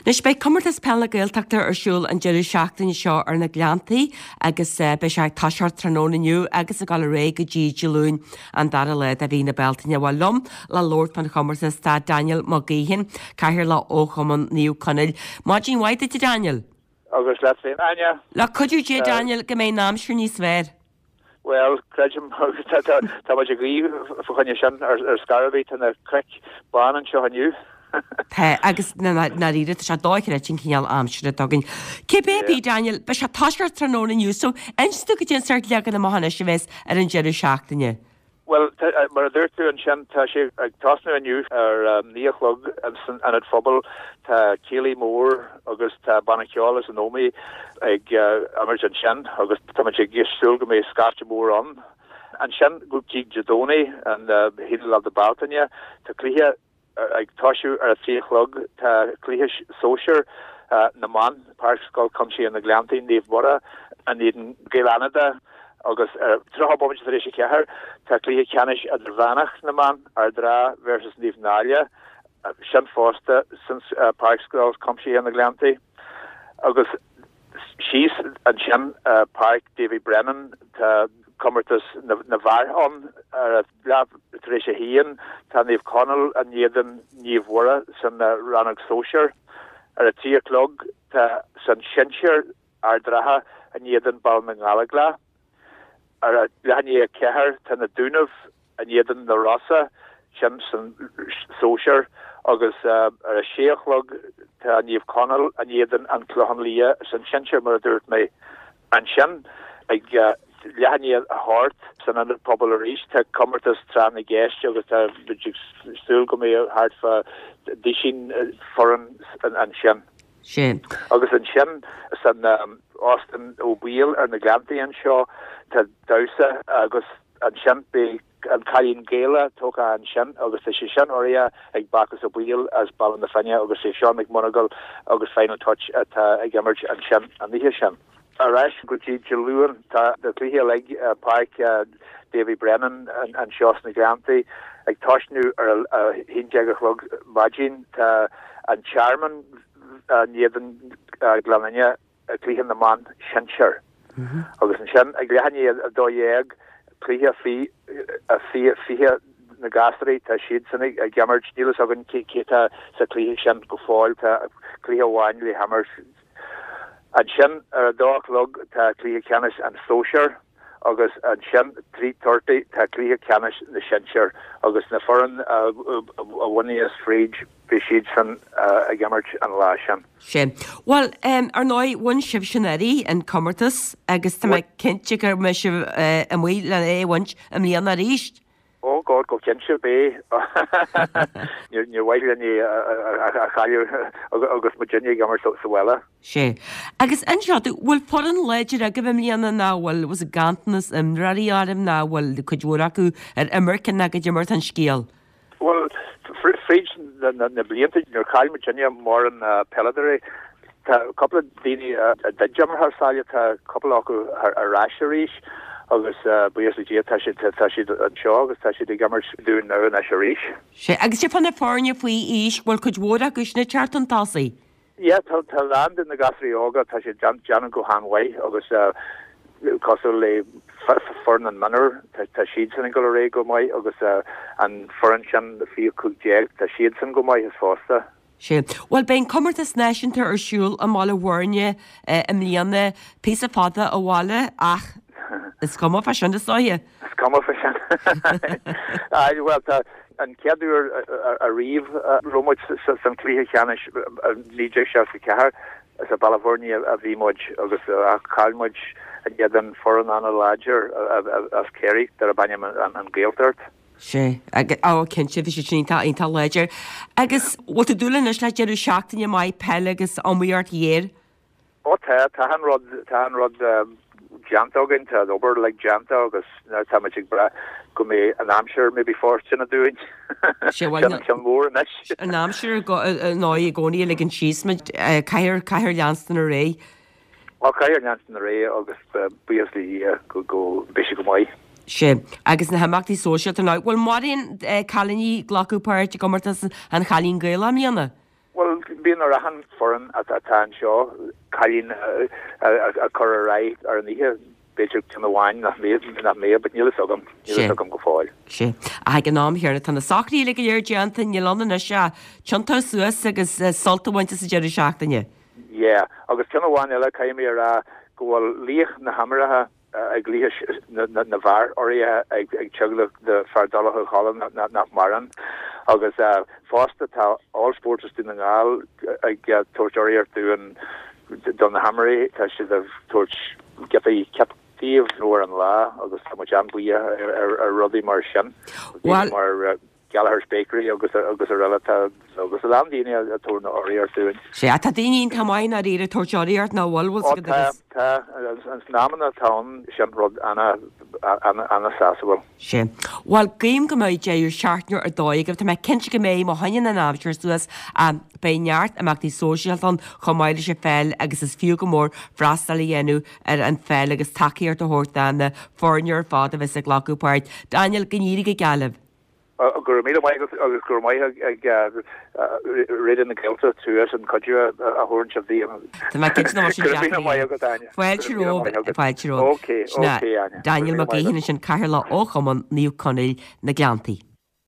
Anois beidh Comórtas Peile na Gaeltachta ar siúl an deireadh seachtaine seo ar na Gleanntaí agus beidh sé ag toiseacht tráthnóna inniu agus ag dul ar aghaidh go dtí Dé Luain an dara lá de mhí na Bealtaine. Bhuel liom le labhairt fán chomórtas tá Daniel Mac Gaoithín, Cathaoirleach ó Chumann Naomh Conaill. Maidin mhaith duit a Daniel. Agus leat féin, Áine. Le cuidiú Dé Daniel go mbeidh an aimsir níos fearr. Bhuel, creidim, tá muid ag guí fá choinne sin ar scor ar bith, tá na cnoic bán anseo inniu. Tá, agus i ndáiríre, tá sé dochreidte an cineál aimsire atá againn. Cibé ar bith, Daniel, beidh sé ag toiseacht tráthnóna inniu, so inis dom cad é an sórt leagan amach anois a bheas ar an deireadh seachtaine. Bhuel, mar a dúirt tú ansin, tá sé ag tosnú inniu ar a naoi a chlog san Ionad Phobail. Tá céilí mór agus tá banna ceoil as an Ómaigh ag imirt ansin agus tá muid ag súil go mbeidh scaifte mór ann. Ansin go dtí Dé Domhnaigh, an haonú lá de Bealtaine, tá cluiche Ag toisiú ar a 3 a chlog tá cluiche sóisir na mban, Páirc Scoil Chuimsitheach na Gleanntaí, Naomh Muire in éadan Gaeil Fhánada agus ar 30 bomaite tar éis a 4 tá cluiche ceannais idirmheánach na mban, Ard an Rátha versus Naomh Náille, sin fosta san Páirc Scoil Chuimsitheach na Gleanntaí. Agus síos ansin Páirc Davy Brennan tá comórtas na bhfear ann ar a leath tar éis a haon, tá Naomh Conaill in éadan Naomh Mhuire san rannóg sóisir. Ar a 3 a chlog tá san sinsear Ard an Rátha in éadan Baile na nGallóglach. Ar a leath i ndiaidh a 4 tá na Dúnaibh in éadan na Rosa, sin san sóisear, agus ar a sé a chlog tá Naomh Conaill in éadan An Clochán Liath san sinsear, mar a dúirt mé. Ansin ag leath i ndiaidh a hocht san Ionad Pobail arís tá comórtas Tráth na gCeist agus tá muid ag súil go mbeidh thart fá duisín foireann ansin. Sin. Agus ansin san Óstán Ó Baoill ar na Gleanntaí anseo tá damhsa agus ansin beidh An Cailín Gaelach tógtha ansin agus tá sé sin urraithe ag Bacchus Ó Baoill as Baile na Finne agus é Seán Mac Monagail agus Final Touch atá ag imirt ansin an oíche sin. Ar ais go dtí Dé Luain tá na cluichí uilig i Páirc Davy Brennan anseo sna Gleanntaí ag tosnú ar a 11 a chlog maidin. Tá An Tearmann in éadan Gleann Fhinne cluiche na mban sinsear. Agus ansin ag leath i ndiaidh 12, cluiche faoi 20 na gasúraí, tá siadsan ag imirt, níl fhios againn cé atá sa chluiche sin go fóill, tá cluiche amháin le himirt. Ansin ar a dó a chlog tá cluiche ceannais an sóisear agus ansin 3:30 tá cluiche ceannais na sinsear agus na foireann a bhainfeas fríd, beidh siadsan ag imirt an lá sin. Sin. Bhuel, ar ndóigh, bhain sibhse anuraidh an comórtas agus tá mé cinnte go mbeidh sibh amuigh le é a bhaint i mbliana arís. Oh God, go cinnte, beidh. Níor mhaith linn é a chailleadh agus muidinne ag imirt sa bhaile. Sea. Agus inis domh, bhfuil foireann láidir agaibh i mbliana nó bhfuil, was ganntanas imreoirí oraibh nó bhfuil cuid mhór acu ar imirce nó goidé mar atá an scéal? Bhuel, fríd na blianta níor chaill muidinne mórán peileadóirí. Tá cúpla daoine a d'imir thar sáile, tá cúpla acu ar ais arís agus buíochas le Dia tá siad tá siad anseo agus tá siad ag imirt dúinn now anois arís. Sea, agus cad é fá na foirne faoi aois, bhfuil cuid mhór acu sin ag teacht chun tosaigh? Yeah, tá a lán de na gasúraí óga, tá siad déanamh go han-mhaith agus cosúil le foireann an mionúr, tá siadsan ag dul ar aghaidh go maith agus an foireann sin faoi 15, tá siadsan go maith is fosta. Sea. Bhuel, beidh an comórtas náisiúnta ar siúl i mBaile Bhuirne i mbliana, píosa fada ó bhaile ach is cuma fá sin is dóiche. Is cuma fá sin. Aye, bhuel, tá an chéad uair ariamh a raibh muid san chluiche cheannais i 1964, is i Baile Bhuirne a bhí muid agus chaill muid in éadan foireann an-láidir as Ciarraí darb ainm an Ghaeltacht. Sea, ó cinnte, bhí siad sin iontach, iontach láidir. Agus bhfuil tú ag dúil anois le deireadh seachtaine maith peile agus iomaíocht ghéar? Ó tá, tá an rud, tá an rud déanta againn, tá an obair uilig déanta agus now táimid ag brath go mbeidh an aimsir maybe fóirsteanach dúinn. Sin an ceann mór anois. An aimsir ar ndóigh i gcónaí a ligeann síos muid, caithfear, caithfear leanstan ar aghaidh. Ó caithfear leanstan ar aghaidh agus buíochas le Dia go, go mbeidh sé go maith. Sea, agus na himeachtaí sóisialta now, bhfuil mórán cailíní ag glacadh páirt i gcomórtas an Chailín Gaelach i mbliana? Bhuel, bíonn ar achan foireann atá anseo cailín a chur ar aghaidh ar an oíche, b'fhéidir ceann amháin nach mbeadh, nach mbeadh, but níl fhios agam, níl fhios agam go fóill. Sea. Ach ag an am chéanna tá na socruithe uilig go léir déanta, níl ann anois ach tiontú suas agus sult a bhaint as an deireadh seachtaine. Yeah, agus ceann amháin eile, caithfidh mé a rá go bhfuil laoch na himeartha i gcluiche na bhfear urraithe ag teaghlach de Fear Dholach Ó Choileáin nach maireann agus fosta tá All Sports as Dún na nGall ag tabhairt urraíocht dúinn do na himreoirí, tá siad ag tabhairt giotaí cip díobh nó ar an lá agus tá muid an-bhuíoch ar rudaí mar sin. Mar Gallagher's Bakery agus agus araile tá agus a lán daoine ag tabhairt na urraíocht dúinn. Sea, tá daoine iontach maith i ndáiríre ag tabhairt urraíocht nach bhfuil, bhfuil Ó tá, tá, ins na amanna atá ann sin rud ana, ana, ana sásúil. Sea. Bhuel, guím go mbeidh deireadh seachtaine ar dóigh agaibh. Tá mé cinnte go mbeidh má choinníonn an aimsir suas, beidh neart imeachtaí sóisialta ann chomh maith leis an pheil agus is fiú go mór freastal a dhéanamh ar an pheil agus tacaíocht a thabhairt do na foirne ar fad a bheas ag glacadh páirt. Daniel, go n-éirí go geal libh. Go raibh míle maith agat agus go raibh maith ag Raidió na Gaeltachta as an cuidiú a thabhairt sibh dúinn. Tá mé cinnte nach bhfuil sé deacair. Go raibh míle maith agat, Áine. Fáilte romhaibh, fáilte romhaibh. Ok, ok, Áine. Daniel Mac Gaoithín ansin, Cathaoirleach ó Chumann Naomh Conaill na Gleanntaí.